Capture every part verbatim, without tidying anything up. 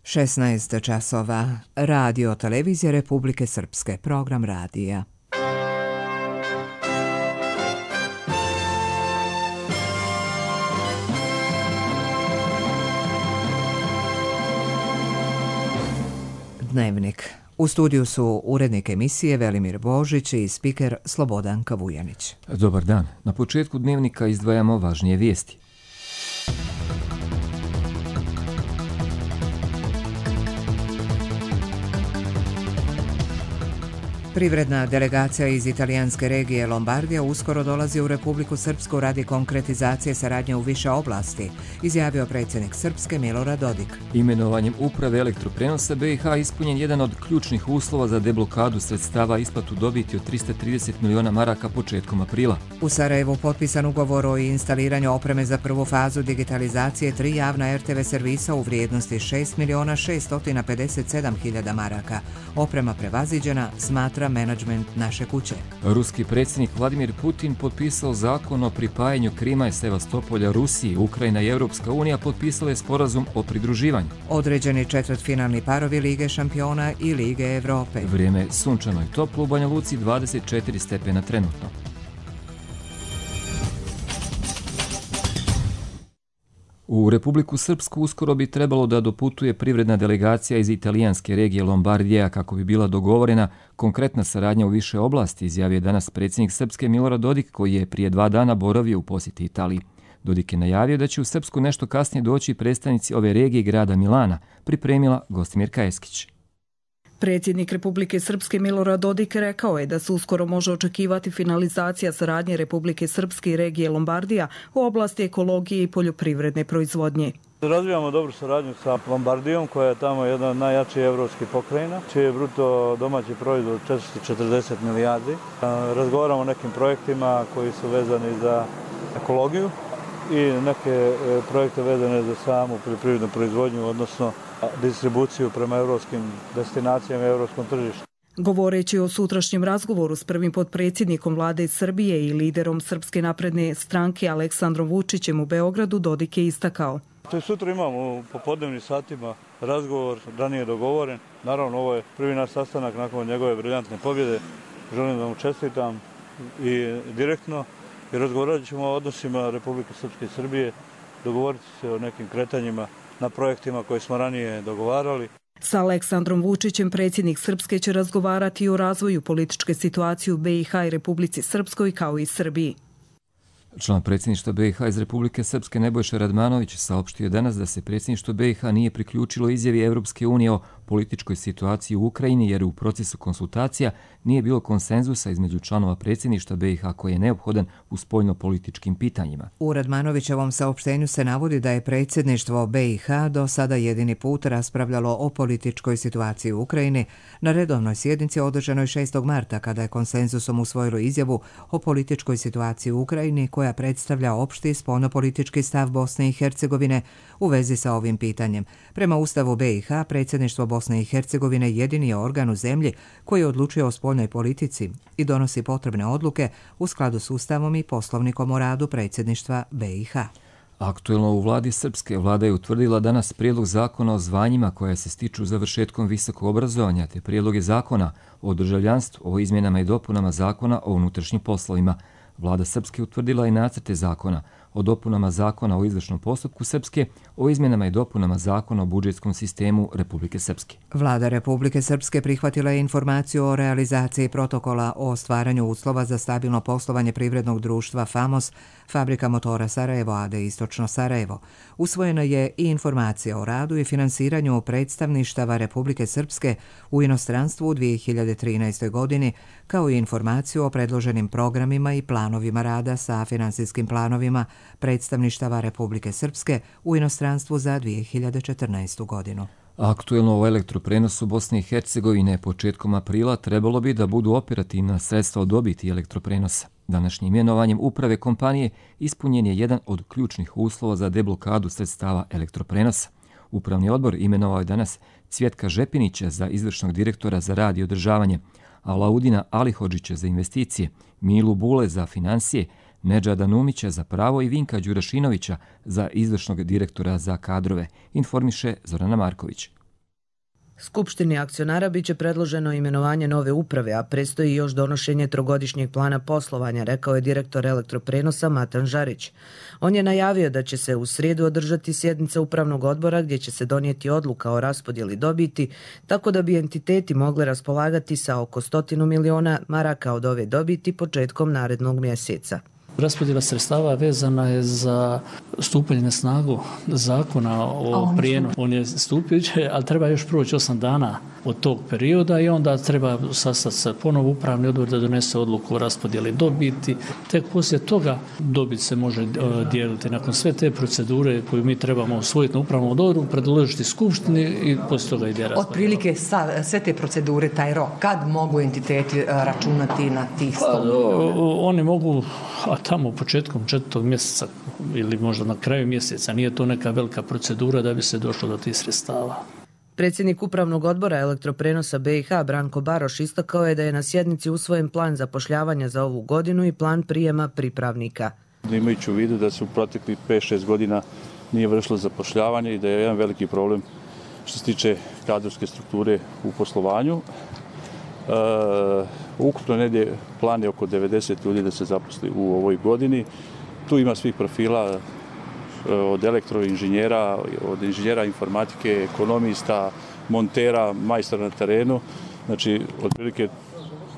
šesnaest časova. Radio Televizije Republike Srpske. Program radija. Dnevnik. U studiju su urednik emisije Velimir Božić i spiker Slobodanka Vujanić. Dobar dan. Na početku dnevnika izdvajamo važnije vijesti. Privredna delegacija iz italijanske regije Lombardija uskoro dolazi u Republiku Srpsku radi konkretizacije saradnje u više oblasti, izjavio predsjednik Srpske Milorad Dodik. Imenovanjem uprave elektroprenosa B i H ispunjen jedan od ključnih uslova za deblokadu sredstava isplatu dobiti od trista trideset miliona maraka početkom aprila. U Sarajevu potpisan ugovor o instaliranju opreme za prvu fazu digitalizacije tri javna R T V servisa u vrijednosti šest miliona šesto pedeset sedam hiljada maraka. Oprema prevaziđena, smatra menadžment naše kuće. Ruski predsjednik Vladimir Putin potpisao zakon o pripajanju Krima i Sevastopolja Rusiji. Ukrajina i Europska unija potpisale sporazum o pridruživanju. Određeni četvrtfinalni parovi Lige šampiona i Lige Evrope. Vrijeme sunčano i toplo u Banja Luci, dvadeset četiri stepena trenutno. U Republiku Srpsku uskoro bi trebalo da doputuje privredna delegacija iz italijanske regije Lombardija kako bi bila dogovorena konkretna saradnja u više oblasti, izjavio je danas predsjednik Srpske Milorad Dodik, koji je prije dva dana boravio u posjeti Italiji. Dodik je najavio da će u Srpsku nešto kasnije doći predstavnici ove regije i grada Milana, pripremila Gostimirka Eskić. Predsjednik Republike Srpske Milorad Dodik rekao je da se uskoro može očekivati finalizacija saradnje Republike Srpske i regije Lombardija u oblasti ekologije i poljoprivredne proizvodnje. Razvijamo dobru saradnju sa Lombardijom, koja je tamo jedna od najjačih evropskih pokrajina, čiji je bruto domaći proizvod četiristo četrdeset milijardi. Razgovaramo o nekim projektima koji su vezani za ekologiju i neke projekte vezane za samu poljoprivrednu proizvodnju, odnosno distribuciju prema evropskim destinacijama i evropskom tržištu. Govoreći o sutrašnjem razgovoru s prvim potpredsjednikom vlade Srbije i liderom Srpske napredne stranke Aleksandrom Vučićem u Beogradu, Dodik je istakao. To sutra imamo u popodnevnim satima razgovor, ranije dogovoren. Naravno, ovo je prvi naš sastanak nakon njegove briljantne pobjede. Želim da mu čestitam i direktno i razgovarat ćemo o odnosima Republike Srpske i Srbije, dogovoriti se o nekim kretanjima na projektima koje smo ranije dogovarali. Sa Aleksandrom Vučićem predsjednik Srpske će razgovarati o razvoju političke situacije u B i H i Republici Srpskoj kao i Srbiji. Član predsjedništva B i H iz Republike Srpske Nebojša Radmanović saopštio danas da se predsjedništvo B i H nije priključilo izjavi Evropske unije o političkoj situaciji u Ukrajini jer u procesu konsultacija nije bilo konsenzusa između članova predsjedništva B i H koji je neophodan u spoljno-političkim pitanjima. U Radmanovićevom saopštenju se navodi da je predsjedništvo B i H do sada jedini put raspravljalo o političkoj situaciji u Ukrajini na redovnoj sjednici održanoj šestog marta kada je konsenzusom usvojilo izjavu o političkoj situaciji u Ukrajini koja predstavlja opšti spoljno-politički stav Bosne i Hercegovine u vezi sa ovim pitanjem. Prema Ustavu B i H, predsjedništvo Bosne i Hercegovine jedini je organ u zemlji koji odlučuje o spoljnoj politici i donosi potrebne odluke u skladu s Ustavom i poslovnikom o radu predsjedništva B i H. Aktuelno u vladi Srpske vlada je utvrdila danas prijedlog zakona o zvanjima koja se stiču završetkom visokog obrazovanja te prijedloge zakona o državljanstvu, o izmjenama i dopunama zakona o unutrašnjim poslovima. Vlada Srpske utvrdila i nacrte zakona o dopunama zakona o izvršnom postupku Srpske, o izmjenama i dopunama zakona o budžetskom sistemu Republike Srpske. Vlada Republike Srpske prihvatila je informaciju o realizaciji protokola o stvaranju uslova za stabilno poslovanje privrednog društva FAMOS, Fabrika motora Sarajevo A D Istočno Sarajevo. Usvojena je i informacija o radu i finansiranju predstavništava Republike Srpske u inostranstvu u dvije hiljade trinaestoj. godini, kao i informaciju o predloženim programima i planovima rada sa finansijskim planovima predstavništava Republike Srpske u inostranstvu za dvije hiljade četrnaestu. godinu. Aktuelno o elektroprenosu Bosne i Hercegovine početkom aprila trebalo bi da budu operativna sredstva od dobiti elektroprenosa. Današnjim imenovanjem uprave kompanije ispunjen je jedan od ključnih uslova za deblokadu sredstava elektroprenosa. Upravni odbor imenovao je danas Cvjetka Žepinića za izvršnog direktora za rad i održavanje, Alaudina Alihodžića za investicije, Milu Bule za financije, Nedžada Numića za pravo i Vinka Đurašinovića za izvršnog direktora za kadrove, informiše Zorana Marković. Skupštini akcionara biće predloženo imenovanje nove uprave, a predstoji još donošenje trogodišnjeg plana poslovanja, rekao je direktor Elektroprenosa Matan Žarić. On je najavio da će se u srijedu održati sjednica upravnog odbora gdje će se donijeti odluka o raspodjeli dobiti, tako da bi entiteti mogli raspolagati sa oko stotinu miliona maraka od ove dobiti početkom narednog mjeseca. Raspodjela sredstava vezana je za stupanje na snagu zakona o prijenosu. On je stupiće, ali treba još proći osam dana od tog perioda i onda treba sastati se ponovo upravni odbor da donese odluku o raspodjeli dobiti. Tek poslije toga dobit se može dijeliti. Nakon sve te procedure koju mi trebamo usvojiti na upravnom odboru, predložiti skupštini i poslije toga ide raspodjela. Otprilike sve te procedure, taj rok, kad mogu entiteti računati na tih sto miliona? Oni mogu, a tamo početkom četvrtog mjeseca ili možda na kraju mjeseca, nije to neka velika procedura da bi se došlo do tih sredstava. Predsjednik upravnog odbora Elektroprenosa B i H Branko Baroš istakao je da je na sjednici usvojen plan zapošljavanja za ovu godinu i plan prijema pripravnika. Imajući u vidu da se u proteklih pet šest godina nije vršilo zapošljavanje i da je jedan veliki problem što se tiče kadrovske strukture u poslovanju. E, ukupno negdje plan je oko devedeset ljudi da se zaposli u ovoj godini. Tu ima svih profila, od elektroinženjera, od inženjera informatike, ekonomista, montera, majstora na terenu. Znači, otprilike,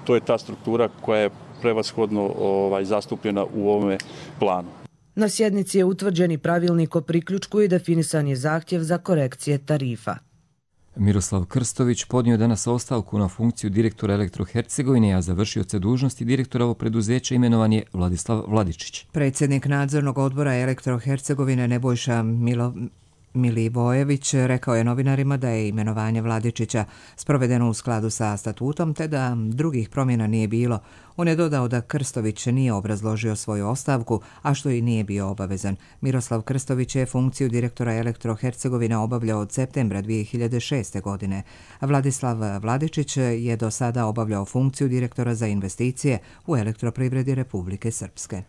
to je ta struktura koja je prevashodno ovaj, zastupljena u ovome planu. Na sjednici je utvrđen i pravilnik o priključku i definisan je zahtjev za korekcije tarifa. Miroslav Krstović podnio danas ostavku na funkciju direktora Elektrohercegovine, a završio se dužnosti direktora ovog preduzeća imenovan je Vladislav Vladičić. Predsjednik nadzornog odbora Elektrohercegovine Nebojša Milo... Milivojević rekao je novinarima da je imenovanje Vladičića sprovedeno u skladu sa statutom te da drugih promjena nije bilo. On je dodao da Krstović nije obrazložio svoju ostavku, a što i nije bio obavezan. Miroslav Krstović je funkciju direktora Elektrohercegovine obavljao od septembra dvije hiljade šeste. godine. Vladislav Vladičić je do sada obavljao funkciju direktora za investicije u Elektroprivredi Republike Srpske.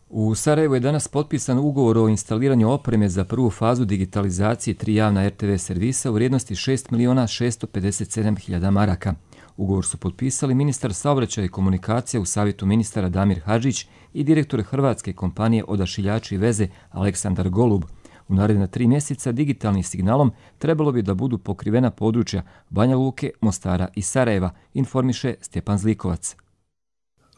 U Sarajevu je danas potpisan ugovor o instaliranju opreme za prvu fazu digitalizacije tri javna er te ve servisa u vrijednosti šest miliona šesto pedeset sedam hiljada maraka. Ugovor su potpisali ministar saobraćaja i komunikacija u savjetu ministara Damir Hadžić i direktor hrvatske kompanije Odašiljači i veze Aleksandar Golub. U naredna tri mjeseca digitalnim signalom trebalo bi da budu pokrivena područja Banja Luke, Mostara i Sarajeva, informiše Stjepan Zlikovac.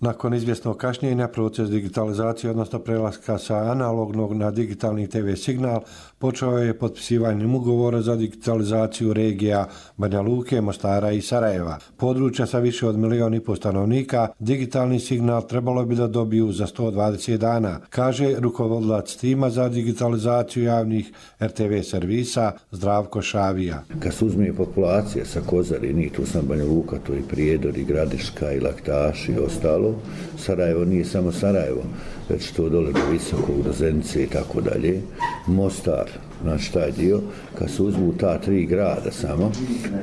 Nakon izvjesnog kašnjenja, proces digitalizacije, odnosno prelaska sa analognog na digitalni te ve signal, počeo je potpisivanjem ugovora za digitalizaciju regija Banja Luke, Mostara i Sarajeva. Područja sa više od milijon i pol stanovnika digitalni signal trebalo bi da dobiju za sto dvadeset dana, kaže rukovodilac tima za digitalizaciju javnih er te ve servisa Zdravko Šavija. Kad se uzme populacija sa Kozarini, tu sam Banja Luka, to i Prijedor, i Gradiška, i Laktaš i ostalo, Sarajevo nije samo Sarajevo, već to dole do Visokog, do Zenice i tako dalje. Mostar, znači taj dio, kad se uzmu ta tri grada samo,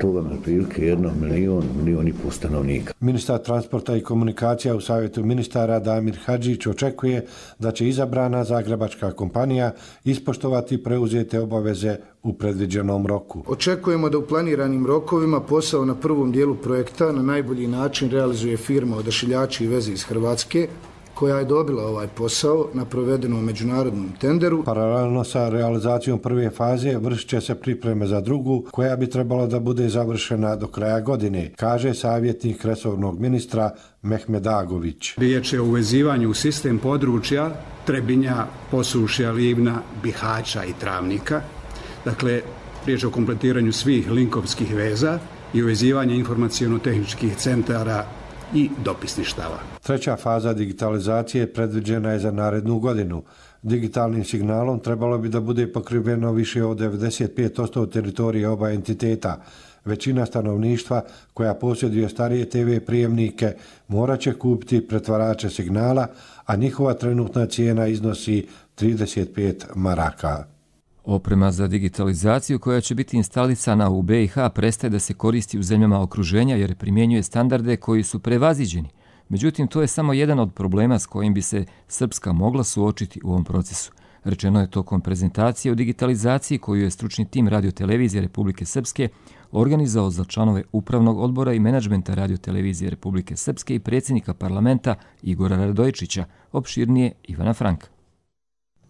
to vam je prilike jedno milion, milion i pol stanovnika. Ministar transporta i komunikacija u savjetu ministara Damir Hadžić očekuje da će izabrana zagrebačka kompanija ispoštovati preuzete obaveze u predviđenom roku. Očekujemo da u planiranim rokovima posao na prvom dijelu projekta na najbolji način realizuje firma Odašiljači i veze iz Hrvatske, koja je dobila ovaj posao na provedenom međunarodnom tenderu. Paralelno sa realizacijom prve faze vršit će se pripreme za drugu, koja bi trebala da bude završena do kraja godine, kaže savjetnik resornog ministra Mehmed Agović. Riječ je o uvezivanju u sistem područja Trebinja, Posušja, Livna, Bihaća i Travnika. Dakle, riječ je o kompletiranju svih linkovskih veza i uvezivanje informaciono-tehničkih centara i dopisništava. Treća faza digitalizacije predviđena je za narednu godinu. Digitalnim signalom trebalo bi da bude pokriveno više od devedeset pet posto teritorije oba entiteta. Većina stanovništva koja posjeduje starije te ve prijemnike morat će kupiti pretvarače signala, a njihova trenutna cijena iznosi trideset pet maraka. Oprema za digitalizaciju koja će biti instalisana u be i ha prestaje da se koristi u zemljama okruženja jer primjenjuje standarde koji su prevaziđeni. Međutim, to je samo jedan od problema s kojim bi se Srpska mogla suočiti u ovom procesu. Rečeno je tokom prezentacije o digitalizaciji koju je stručni tim Radiotelevizije Republike Srpske organizao za članove Upravnog odbora i menadžmenta Radiotelevizije Republike Srpske i predsjednika parlamenta Igora Radojičića, opširnije Ivana Franka.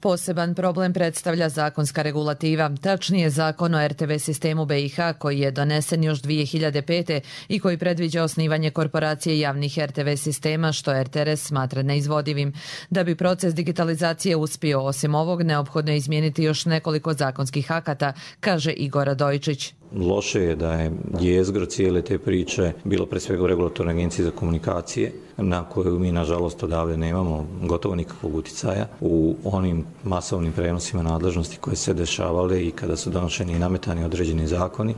Poseban problem predstavlja zakonska regulativa, tačnije zakon o er te ve sistemu be i ha koji je donesen još dvije hiljade pete. i koji predviđa osnivanje korporacije javnih er te ve sistema, što er te er es smatra neizvodivim. Da bi proces digitalizacije uspio, osim ovog, neophodno je izmijeniti još nekoliko zakonskih akata, kaže Igor Radojičić. Loše je da je jezgro cijele te priče bilo pre svega u Regulatornoj agenciji za komunikacije, na koju mi nažalost odavde nemamo gotovo nikakvog uticaja u onim masovnim prenosima nadležnosti koje se dešavale i kada su donošeni i nametani određeni zakoni.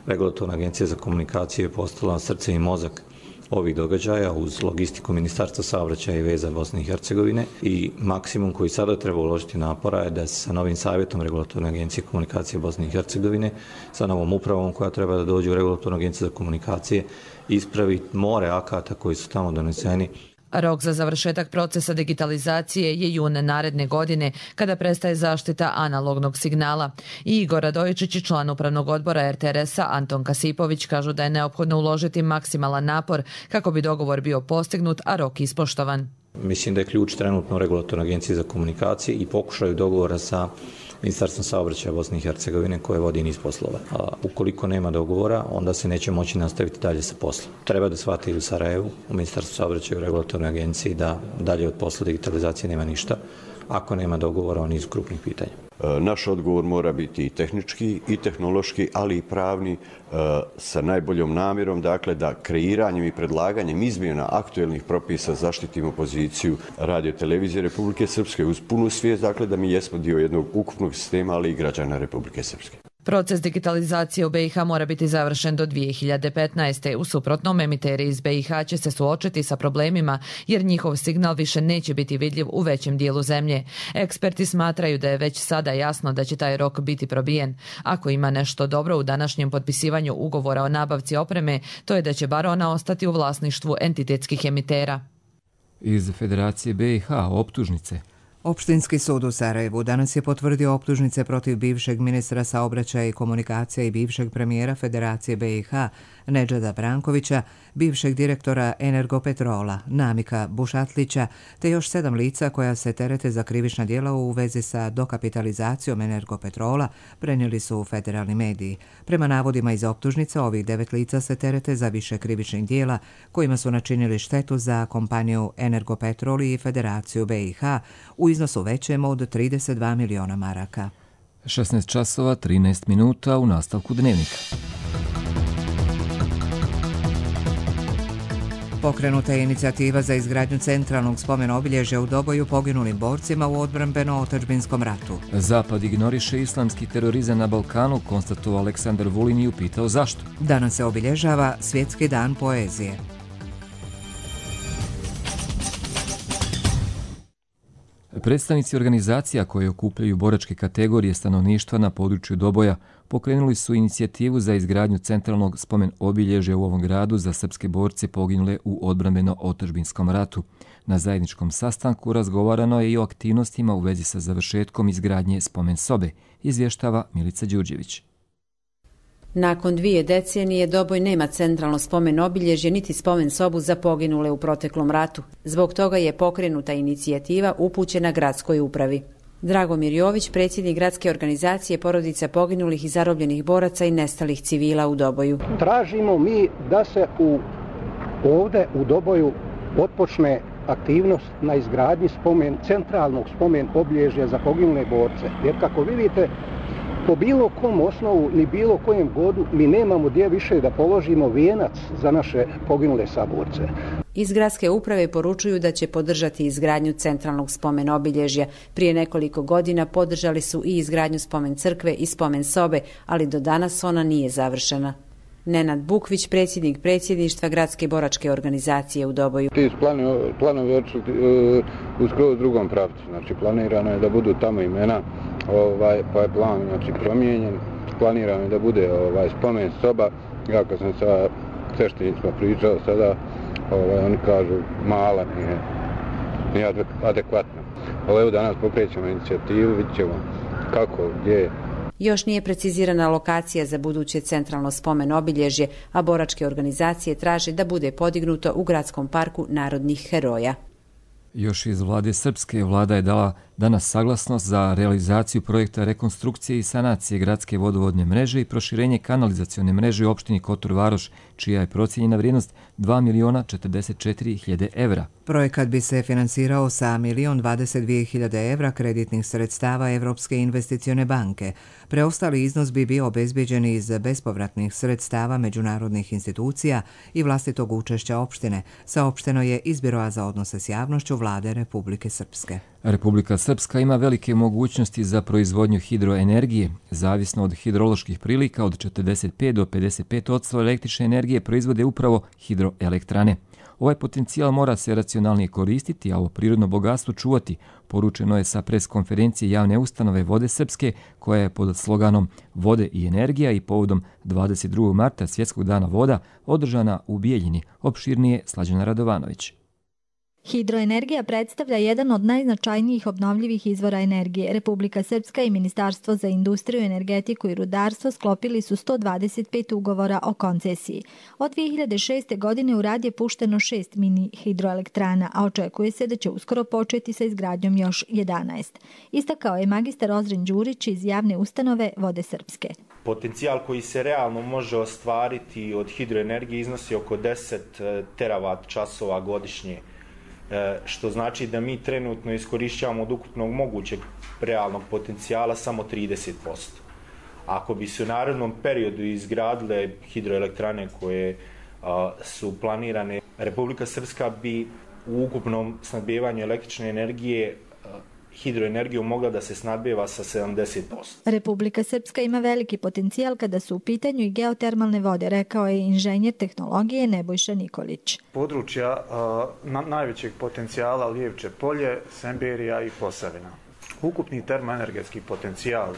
Regulatorna agencija za komunikacije je postala srce i mozak ovih događaja uz logistiku Ministarstva saobraćaja i veza Bosne i Hercegovine i maksimum koji sada treba uložiti napora je da se sa novim savjetom Regulatorne agencije komunikacije Bosne i Hercegovine, sa novom upravom koja treba da dođe u Regulatornu agenciju za komunikacije, ispravi more akata koji su tamo doneseni. Rok za završetak procesa digitalizacije je jun naredne godine, kada prestaje zaštita analognog signala. I Igor Radojičić i član Upravnog odbora er te er esa Anton Kasipović kažu da je neophodno uložiti maksimalan napor kako bi dogovor bio postignut, a rok ispoštovan. Mislim da je ključ trenutno u Regulatornoj agenciji za komunikacije i pokušaju dogovora sa Ministarstvom saobraćaja Bosne i Hercegovine koje vodi niz poslova. A ukoliko nema dogovora, onda se neće moći nastaviti dalje sa poslom. Treba da shvati u Sarajevu, u Ministarstvu saobraćaja i u Regulatornoj agenciji da dalje od posla digitalizacije nema ništa. Ako nema dogovora o nizu krupnih pitanja. Naš odgovor mora biti i tehnički, i tehnološki, ali i pravni, sa najboljom namjerom, dakle, da kreiranjem i predlaganjem izmjena aktuelnih propisa zaštitimo poziciju Radiotelevizije Republike Srpske uz punu svijest, dakle, da mi jesmo dio jednog ukupnog sistema, ali i građana Republike Srpske. Proces digitalizacije u be i ha mora biti završen do dvije hiljade petnaeste. U suprotnom, emiteri iz be i ha će se suočiti sa problemima jer njihov signal više neće biti vidljiv u većem dijelu zemlje. Eksperti smatraju da je već sada jasno da će taj rok biti probijen. Ako ima nešto dobro u današnjem potpisivanju ugovora o nabavci opreme, to je da će bar ona ostati u vlasništvu entitetskih emitera. Iz Federacije be i ha optužnice. Opštinski sud u Sarajevu danas je potvrdio optužnice protiv bivšeg ministra saobraćaja i komunikacija i bivšeg premijera Federacije be i ha Nedžada Brankovića, bivšeg direktora Energopetrola Namika Bušatlića, te još sedam lica koja se terete za krivična djela u vezi sa dokapitalizacijom Energopetrola, prenijeli su federalni mediji. Prema navodima iz optužnice, ovih devet lica se terete za više krivičnih djela kojima su načinili štetu za kompaniju Energopetrol i Federaciju be i ha u iznosu većem od trideset dva miliona maraka. šesnaest časova trinaest minuta u nastavku Dnevnika. Pokrenuta je inicijativa za izgradnju centralnog spomen obilježja u Doboju poginulim borcima u odbrambeno-otadžbinskom ratu. Zapad ignoriše islamski terorizam na Balkanu, konstatovao Aleksandar Vulin i upitao zašto. Danas se obilježava Svjetski dan poezije. Predstavnici organizacija koje okupljaju boračke kategorije stanovništva na području Doboja pokrenuli su inicijativu za izgradnju centralnog spomen obilježja u ovom gradu za srpske borce poginule u odbrambeno-otadžbinskom ratu. Na zajedničkom sastanku razgovarano je i o aktivnostima u vezi sa završetkom izgradnje spomen sobe, izvještava Milica Đurđević. Nakon dvije decenije Doboj nema centralno spomen obilježje niti spomen sobu za poginule u proteklom ratu. Zbog toga je pokrenuta inicijativa upućena gradskoj upravi. Dragomir Jović, predsjednik gradske organizacije porodica poginulih i zarobljenih boraca i nestalih civila u Doboju. Tražimo mi da se u, ovde u Doboju otpočne aktivnost na izgradnji spomen, centralnog spomen obilježja za poginule borce. Jer kako vidite, po bilo kom osnovu ni bilo kojem godu mi nemamo gdje više da položimo vijenac za naše poginule saborce. Iz gradske uprave poručuju da će podržati izgradnju centralnog spomen obilježja. Prije nekoliko godina podržali su i izgradnju spomen crkve i spomen sobe, ali do danas ona nije završena. Nenad Bukvić, predsjednik predsjedništva gradske boračke organizacije u Doboju. Ti planovi, planovi očuti u skroz drugom pravcu. Znači planirano je da budu tamo imena, ovaj, pa je plan znači, promijenjen. Planirano je da bude ovaj, spomen soba. Ja kad sam sa sveštenicima pričao sada, ovaj, oni kažu mala nije. nije adekvatna. Ovo evo danas pokrećemo inicijativu, vidjet ćemo kako, gdje. Još nije precizirana lokacija za buduće centralno spomen obilježje, a boračke organizacije traže da bude podignuto u gradskom parku narodnih heroja. Još iz vlade Srpske vlada je dala danas saglasnost za realizaciju projekta rekonstrukcije i sanacije gradske vodovodne mreže i proširenje kanalizacione mreže u opštini Kotor Varoš, čija je procijenjena vrijednost dva miliona četrdeset četiri hiljade evra. Projekat bi se finansirao sa milion dvadeset dvije hiljade evra kreditnih sredstava Evropske investicione banke. Preostali iznos bi bio obezbeđen iz bespovratnih sredstava međunarodnih institucija i vlastitog učešća opštine, saopšteno je iz Biroa za odnose s javnošću vlade Republike Srpske. Republika Srpska ima velike mogućnosti za proizvodnju hidroenergije. Zavisno od hidroloških prilika, od četrdeset pet do pedeset pet posto električne energije proizvode upravo hidroelektrane. Ovaj potencijal mora se racionalnije koristiti, a ovo prirodno bogatstvo čuvati, poručeno je sa preskonferencije javne ustanove Vode Srpske, koja je pod sloganom Vode i energija i povodom dvadeset drugog marta Svjetskog dana voda održana u Bijeljini. Opširnije Slađana Radovanović. Hidroenergija predstavlja jedan od najznačajnijih obnovljivih izvora energije. Republika Srpska i Ministarstvo za industriju, energetiku i rudarstvo sklopili su sto dvadeset pet ugovora o koncesiji. Od dvije hiljade šeste. godine u rad je pušteno šest mini hidroelektrana, a očekuje se da će uskoro početi sa izgradnjom još jedanaest. Istakao je magistar Ozren Đurić iz javne ustanove Vode Srpske. Potencijal koji se realno može ostvariti od hidroenergije iznosi oko deset teravat časova godišnje, što znači da mi trenutno iskorišćavamo od ukupnog mogućeg realnog potencijala samo trideset posto. Ako bi se u narednom periodu izgradile hidroelektrane koje a, su planirane, Republika Srpska bi u ukupnom snabdevanju električne energije hidroenergiju mogla da se snabdeva sa sedamdeset posto. Republika Srpska ima veliki potencijal kada su u pitanju i geotermalne vode, rekao je inženjer tehnologije Nebojša Nikolić. Područja uh, na, najvećeg potencijala Lijevče polje, Semberija i Posavina. Ukupni termoenergetski potencijal uh,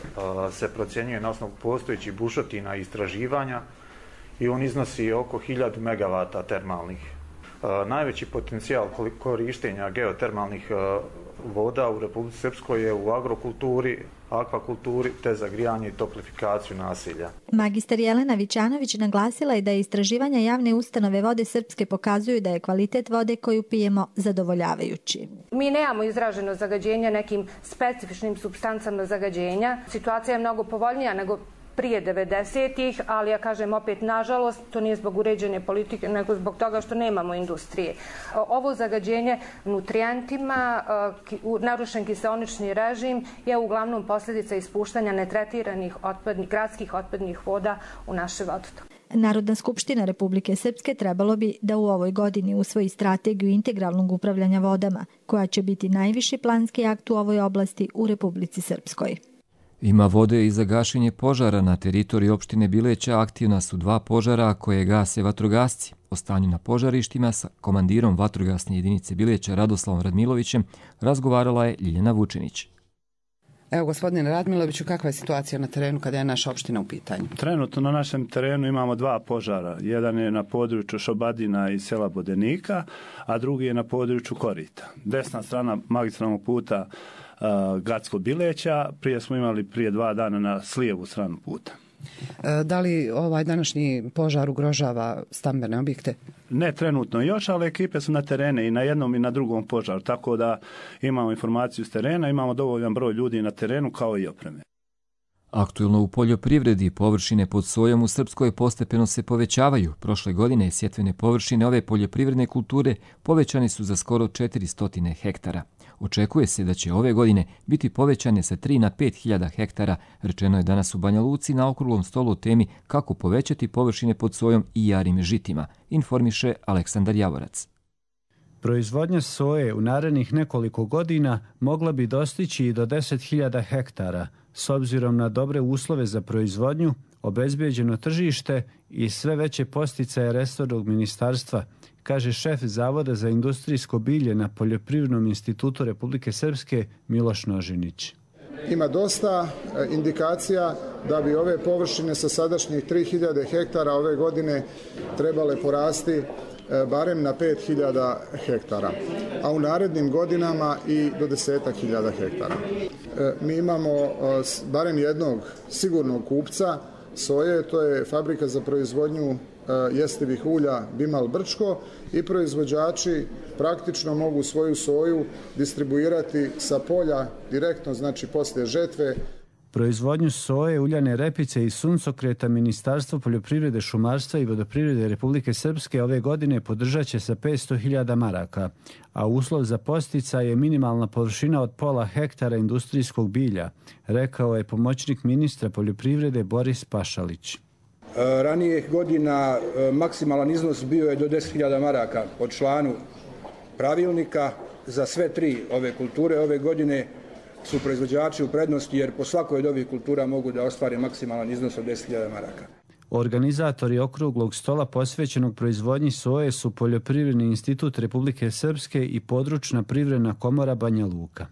se procjenjuje na osnovu postojećih bušotina i istraživanja i on iznosi oko hiljadu megavata termalnih. Uh, najveći potencijal korištenja geotermalnih uh, voda u Republici Srpskoj je u agrokulturi, akvakulturi te za grijanje i toplifikaciju naselja. Magistar Jelena Vićanović naglasila je da istraživanja javne ustanove Vode Srpske pokazuju da je kvalitet vode koju pijemo zadovoljavajući. Mi nemamo izraženo zagađenje nekim specifičnim supstancama zagađenja. Situacija je mnogo povoljnija nego prije devedesetih, ali ja kažem opet, nažalost, to nije zbog uređene politike, nego zbog toga što nemamo industrije. Ovo zagađenje nutrijentima, narušen kiseonični režim je uglavnom posljedica ispuštanja netretiranih otpadnih, gradskih otpadnih voda u naše vodotoke. Narodna skupština Republike Srpske trebalo bi da u ovoj godini usvoji strategiju integralnog upravljanja vodama, koja će biti najviši planski akt u ovoj oblasti u Republici Srpskoj. Ima vode i za gašenje požara na teritoriji opštine Bileća. Aktivna su dva požara koje gase vatrogasci. O stanju na požarištima sa komandirom vatrogasne jedinice Bileća Radoslavom Radmilovićem razgovarala je Ljiljana Vučinić. Evo, gospodine Radmiloviću, kakva je situacija na terenu kada je naša opština u pitanju? Trenutno na našem terenu imamo dva požara. Jedan je na području Šobadina i sela Bodenika, a drugi je na području Korita. Desna strana magistralnog puta uh, Gacko Bileća, prije smo imali prije dva dana na slijevu stranu puta. Da li ovaj današnji požar ugrožava stambene objekte? Ne trenutno još, ali ekipe su na terene i na jednom i na drugom požaru, tako da imamo informaciju s terena, imamo dovoljan broj ljudi na terenu kao i opreme. Aktuelno u poljoprivredi površine pod sojom u Srpskoj postepeno se povećavaju. Prošle godine sjetvene površine ove poljoprivredne kulture povećane su za skoro četiristo hektara. Očekuje se da će ove godine biti povećane sa tri na pet hiljada hektara, rečeno je danas u Banja Luci na okruglom stolu o temi kako povećati površine pod sojom i jarim žitima, informiše Aleksandar Javorac. Proizvodnja soje u narednih nekoliko godina mogla bi dostići i do deset hiljada hektara, s obzirom na dobre uslove za proizvodnju, obezbeđeno tržište i sve veće posticaje resornog ministarstva, kaže šef Zavoda za industrijsko bilje na Poljoprivrednom institutu Republike Srpske Miloš Nožinić. Ima dosta indikacija da bi ove površine sa sadašnjih tri hiljade hektara ove godine trebale porasti barem na pet hiljada hektara, a u narednim godinama i do desetak hiljada hektara. Mi imamo barem jednog sigurnog kupca soje, to je fabrika za proizvodnju jestivih ulja Bimal Brčko, i proizvođači praktično mogu svoju soju distribuirati sa polja direktno, znači poslije žetve. Proizvodnju soje, uljane repice i suncokreta Ministarstvo poljoprivrede, šumarstva i vodoprivrede Republike Srpske ove godine podržat će sa petsto hiljada maraka, a uslov za podsticaj je minimalna površina od pola hektara industrijskog bilja, rekao je pomoćnik ministra poljoprivrede Boris Pašalić. Ranijih godina maksimalan iznos bio je do deset hiljada maraka po članu pravilnika za sve tri ove kulture. Ove godine su proizvođači u prednosti jer po svakoj od ovih kultura mogu da ostvare maksimalan iznos od deset hiljada maraka. Organizatori okruglog stola posvećenog proizvodnji soje su Poljoprivredni institut Republike Srpske i Područna privredna komora Banja Luka.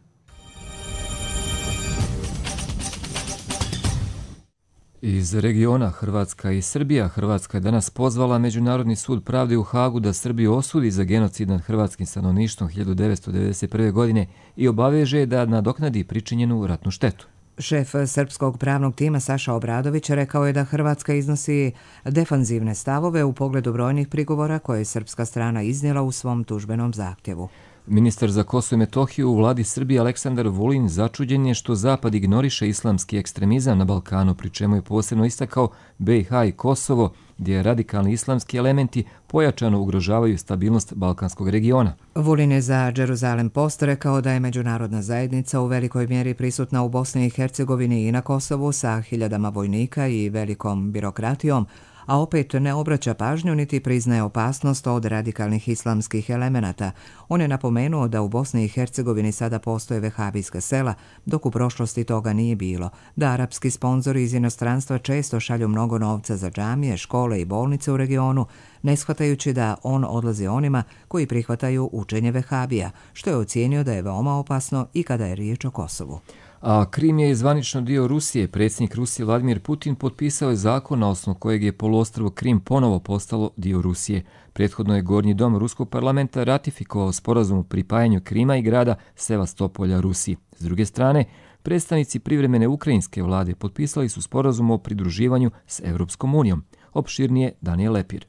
Iz regiona Hrvatska i Srbija. Hrvatska je danas pozvala Međunarodni sud pravde u Hagu da Srbiju osudi za genocid nad hrvatskim stanovništvom hiljadu devetsto devedeset prve. godine i obaveže da nadoknadi pričinjenu ratnu štetu. Šef srpskog pravnog tima Saša Obradović rekao je da Hrvatska iznosi defanzivne stavove u pogledu brojnih prigovora koje je srpska strana iznijela u svom tužbenom zahtjevu. Ministar za Kosovo i Metohiju u vladi Srbije Aleksandar Vulin začuđen je što Zapad ignoriše islamski ekstremizam na Balkanu, pri čemu je posebno istakao B i H i Kosovo, gdje radikalni islamski elementi pojačano ugrožavaju stabilnost balkanskog regiona. Vulin je za Jerusalem Post rekao da je međunarodna zajednica u velikoj mjeri prisutna u Bosni i Hercegovini i na Kosovu sa hiljadama vojnika i velikom birokratijom, a opet ne obraća pažnju niti priznaje opasnost od radikalnih islamskih elemenata. On je napomenuo da u Bosni i Hercegovini sada postoje vehabijska sela, dok u prošlosti toga nije bilo, da arapski sponzori iz inostranstva često šalju mnogo novca za džamije, škole i bolnice u regionu, ne shvatajući da on odlazi onima koji prihvataju učenje vehabija, što je ocijenio da je veoma opasno i kada je riječ o Kosovu. A Krim je zvanično dio Rusije. Predsjednik Rusije Vladimir Putin potpisao je zakon na osnovu kojeg je poluostrvo Krim ponovo postalo dio Rusije. Prethodno je Gornji dom Ruskog parlamenta ratifikovao sporazum o pripajanju Krima i grada Sevastopolja Rusiji. S druge strane, predstavnici privremene ukrajinske vlade potpisali su sporazum o pridruživanju s Europskom unijom. Opširnije Danijel Lepir.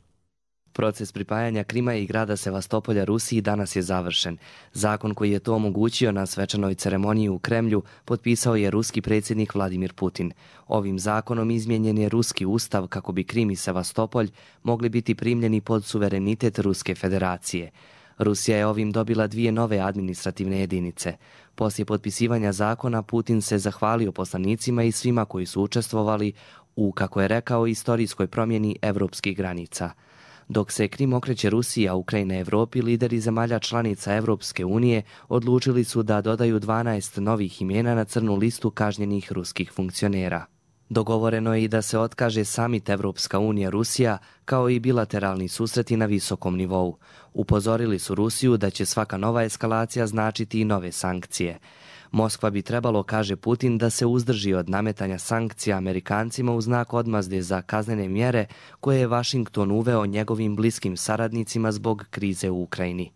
Proces pripajanja Krima i grada Sevastopolja Rusiji danas je završen. Zakon koji je to omogućio na svečanoj ceremoniji u Kremlju potpisao je ruski predsjednik Vladimir Putin. Ovim zakonom izmijenjen je ruski ustav kako bi Krim i Sevastopolj mogli biti primljeni pod suverenitet Ruske federacije. Rusija je ovim dobila dvije nove administrativne jedinice. Poslije potpisivanja zakona Putin se zahvalio poslanicima i svima koji su učestvovali u, kako je rekao, istorijskoj promjeni evropskih granica. Dok se Krim okreće Rusiji, a Ukrajina Evropi, lideri zemalja članica Evropske unije odlučili su da dodaju dvanaest novih imena na crnu listu kažnjenih ruskih funkcionera. Dogovoreno je i da se otkaže samit Evropska unija Rusija, kao i bilateralni susreti na visokom nivou. Upozorili su Rusiju da će svaka nova eskalacija značiti i nove sankcije. Moskva bi trebalo, kaže Putin, da se uzdrži od nametanja sankcija Amerikancima u znak odmazde za kaznene mjere koje je Vašington uveo njegovim bliskim saradnicima zbog krize u Ukrajini.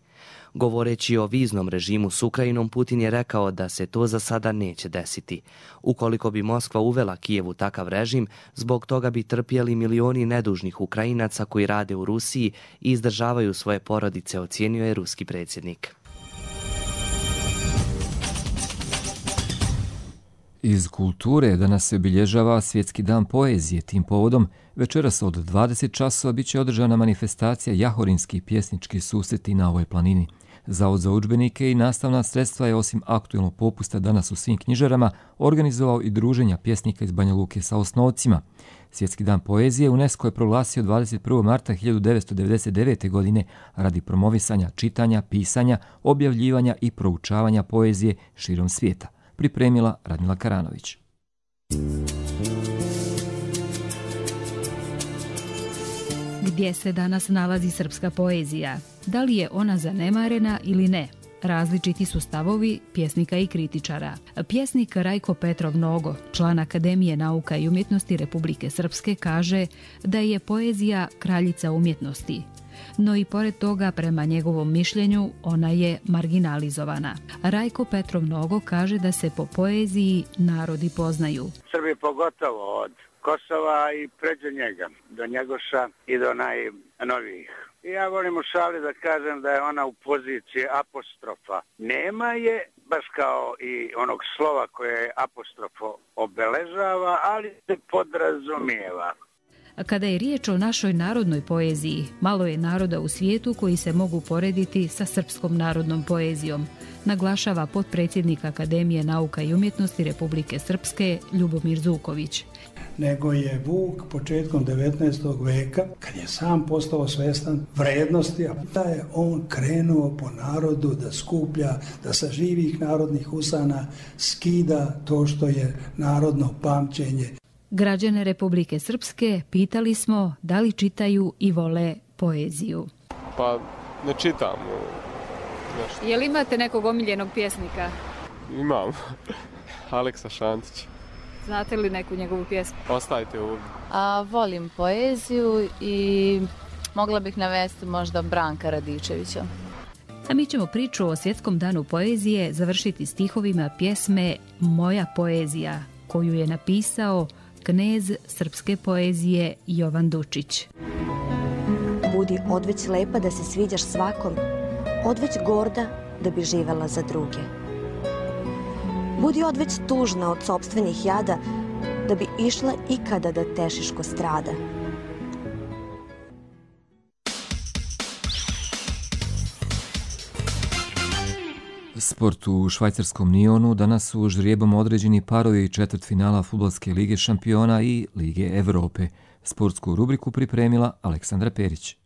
Govoreći o viznom režimu s Ukrajinom, Putin je rekao da se to za sada neće desiti. Ukoliko bi Moskva uvela Kijevu takav režim, zbog toga bi trpjeli milioni nedužnih Ukrajinaca koji rade u Rusiji i izdržavaju svoje porodice, ocijenio je ruski predsjednik. Iz kulture danas se obilježava Svjetski dan poezije. Tim povodom večeras od dvadeset časova bit će održana manifestacija Jahorinski pjesnički susreti na ovoj planini. Zavod za udžbenike i nastavna sredstva je osim aktualnog popusta danas u svim knjižarama organizovao i druženja pjesnika iz Banja Luke sa osnovcima. Svjetski dan poezije UNESCO je proglasio dvadeset prvog marta hiljadu devetsto devedeset devete. godine radi promovisanja čitanja, pisanja, objavljivanja i proučavanja poezije širom svijeta. Pripremila Radmila Karanović. Gdje se danas nalazi srpska poezija? Da li je ona zanemarena ili ne? Različiti su stavovi pjesnika i kritičara. Pjesnik Rajko Petrov Nogo, član Akademije nauka i umjetnosti Republike Srpske, kaže da je poezija kraljica umjetnosti. no i pored toga, prema njegovom mišljenju, ona je marginalizovana. Rajko Petrov Nogo kaže da se po poeziji narodi poznaju. Srbi pogotovo od Kosova i pređe njega, do Njegoša i do najnovijih. I ja volim u šali da kažem da je ona u poziciji apostrofa. Nema je baš kao i onog slova koje apostrofo obeležava, ali se podrazumijeva. Kada je riječ o našoj narodnoj poeziji, malo je naroda u svijetu koji se mogu porediti sa srpskom narodnom poezijom, naglašava potpredsjednik Akademije nauka i umjetnosti Republike Srpske Ljubomir Zuković. Nego je Vuk početkom devetnaestog veka, kad je sam postao svjestan vrednosti, a da je on krenuo po narodu da skuplja, da sa živih narodnih usana skida to što je narodno pamćenje. Građane Republike Srpske pitali smo da li čitaju i vole poeziju. Pa ne čitam. Nešto. Je li imate nekog omiljenog pjesnika? Imam. Aleksa Šantić. Znate li neku njegovu pjesmu? Ostajte ovdje. A, volim poeziju i mogla bih navesti možda Branka Radičevića. A mi ćemo priču o Svjetskom danu poezije završiti stihovima pjesme Moja poezija, koju je napisao knez srpske poezije Jovan Dučić. Budi odveć lepa da se sviđaš svakom, odveć gorda da bi živela za druge. Budi odveć tužna od sopstvenih jada, da bi išla ikada da tešiš ko strada. Sport u švajcarskom Nionu danas su ždrijebom određeni parovi četvrtfinala Fudbalske lige šampiona i Lige Evrope. Sportsku rubriku pripremila Aleksandra Perić.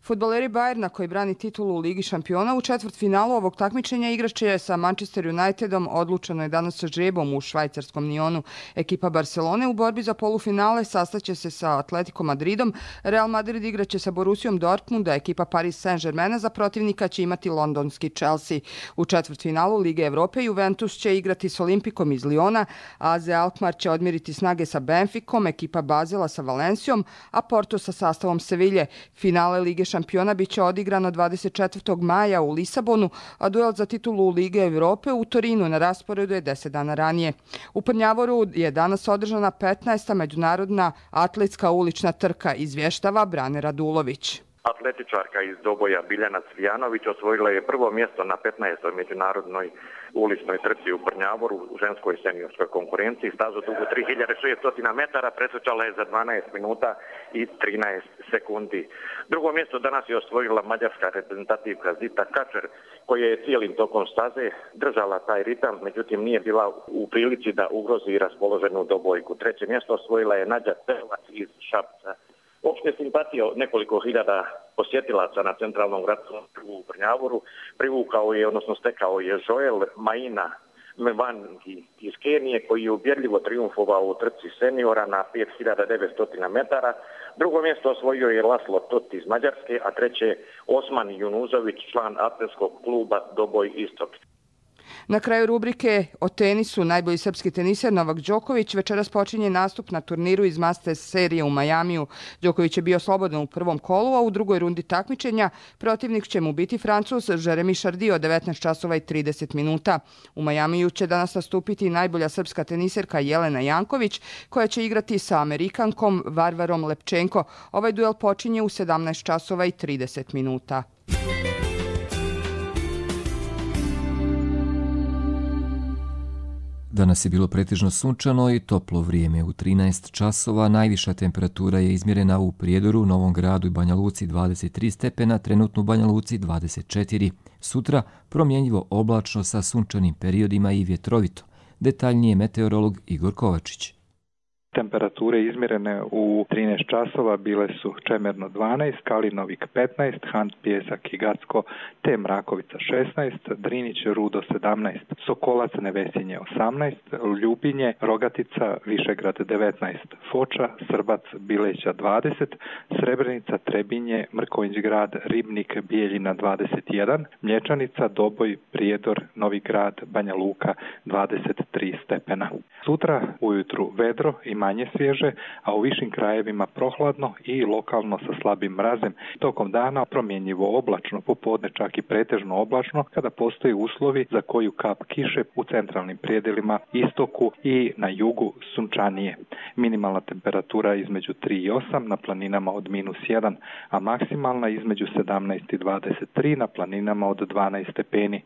Fudbaleri Bayerna koji brani titulu u Ligi šampiona u četvrtfinalu ovog takmičenja igraće sa Manchester Unitedom. Odlučeno je danas sa ždrijebom u švajcarskom Nionu. Ekipa Barcelone u borbi za polufinale sastaće se sa Atletico Madridom. Real Madrid igraće sa Borussijom Dortmunda. Ekipa Paris Saint-Germaina za protivnika će imati londonski Chelsea. U četvrtfinalu Lige Evrope Juventus će igrati s Olimpikom iz Liona. A Z Alkmaar će odmiriti snage sa Benficom. Ekipa Bazela sa Valencijom, a Porto sa sastavom Sevilje. Finale Lige šampiona biće odigrano dvadeset četvrtog maja u Lisabonu, a duel za titulu Lige Evrope u Torinu na rasporedu je deset dana ranije. U Prnjavoru je danas održana petnaesta međunarodna atletska ulična trka, izvještava Brane Radulović. Atletičarka iz Doboja Biljana Cvijanović osvojila je prvo mjesto na petnaestoj međunarodnoj uličnoj trci u Prnjavoru u ženskoj seniorskoj konkurenciji. Stazu dugu tri hiljade šesto metara pretrčala je za dvanaest minuta i trinaest sekundi. Drugo mjesto danas je osvojila mađarska reprezentativka Zita Kačer, koja je cijelim tokom staze držala taj ritam, međutim nije bila u prilici da ugrozi raspoloženu Dobojku. Treće mjesto osvojila je Nađa Celovac iz Šapca. Opšte simpatije od nekoliko hiljada posjetilaca na centralnom gradskom trgu u Prnjavoru privukao je, odnosno stekao je Joel Maina Mvangi iz Kenije, koji je ubjedljivo triumfovao u trci seniora na pet hiljada devetsto metara. Drugo mjesto osvojio je Laslo Tot iz Mađarske, a treće Osman Junuzović, član atletskog kluba Doboj Istok. Na kraju rubrike o tenisu najbolji srpski teniser Novak Đoković večeras počinje nastup na turniru iz Masters serije u Majamiju. Đoković je bio slobodan u prvom kolu, a u drugoj rundi takmičenja protivnik će mu biti Francuz Jeremy Chardy od devetnaest časova i trideset minuta. U Majamiju će danas nastupiti najbolja srpska teniserka Jelena Janković, koja će igrati sa Amerikankom Varvarom Lepčenko. Ovaj duel počinje u sedamnaest časova i trideset minuta. Danas je bilo pretežno sunčano i toplo vrijeme u trinaest časova. Najviša temperatura je izmjerena u Prijedoru, Novom Gradu i Banja Luci dvadeset tri stepena, trenutno u Banja Luci dvadeset četiri. Sutra promjenjivo oblačno sa sunčanim periodima i vjetrovito. Detaljnije meteorolog Igor Kovačić. Temperature izmjerene u trinaest časova bile su Čemerno dvanaest, Kalinovik petnaest, Hant, Pjesak i Gacko te Mrakovica šesnaest, Drinić, Rudo sedamnaest, Sokolac, Nevesinje osamnaest, Ljubinje, Rogatica, Višegrad devetnaest, Foča, Srbac, Bileća dvadeset, Srebrenica, Trebinje, Mrkonjić grad, Ribnik, Bijeljina dvadeset jedan, Mlječanica, Doboj, Prijedor, Novi Grad, Banja Luka dvadeset tri stepena. Sutra ujutru vedro i manje svježe, a u višim krajevima prohladno i lokalno sa slabim mrazem. Tokom dana promjenjivo oblačno, popodne čak i pretežno oblačno, kada postoje uslovi za koju kap kiše u centralnim predjelima, istoku i na jugu sunčanije. Minimalna temperatura između tri i osam, na planinama od minus jedan, a maksimalna između sedamnaest i dvadeset tri, na planinama od dvanaest stepeni.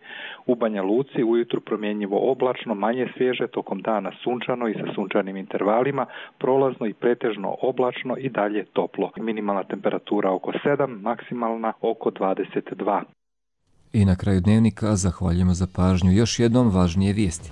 U Banja Luci ujutru promjenjivo oblačno, manje svježe, tokom dana sunčano i sa sunčanim intervalima, prolazno i pretežno oblačno i dalje toplo. Minimalna temperatura oko sedam, maksimalna oko dvadeset dva. I na kraju dnevnika zahvaljujemo za pažnju. Još jednom važnije vijesti.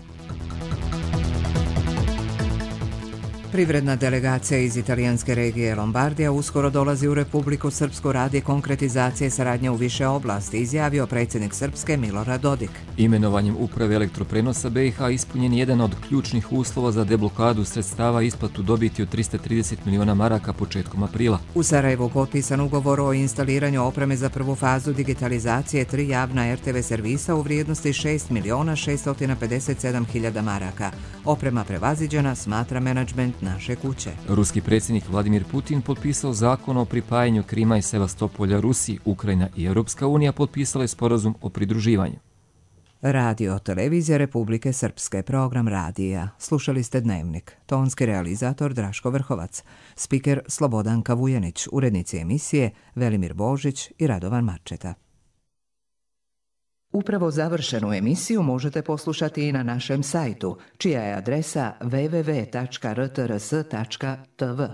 Privredna delegacija iz italijanske regije Lombardija uskoro dolazi u Republiku Srpsku radi konkretizacije saradnje u više oblasti, izjavio predsjednik Srpske Milorad Dodik. Imenovanjem uprave elektroprenosa B i H ispunjen je jedan od ključnih uslova za deblokadu sredstava i isplatu dobiti od trista trideset miliona maraka početkom aprila. U Sarajevu potpisan ugovor o instaliranju opreme za prvu fazu digitalizacije tri javna R T V servisa u vrijednosti šest miliona šesto pedeset sedam hiljada maraka. Oprema prevaziđena, smatra menadžment naše kuće. Ruski predsjednik Vladimir Putin potpisao zakon o pripajanju Krima i Sevastopolja Rusiji. Ukrajina i Europska unija potpisale sporazum o pridruživanju. Radio Televizija Republike Srpske, program radija. Slušali ste Dnevnik. Tonski realizator Draško Vrhovac. Spiker Slobodan Kavujanić. Urednici emisije Velimir Božić i Radovan Marčeta. Upravo završenu emisiju možete poslušati i na našem sajtu, čija je adresa w w w tačka r t r s tačka t v.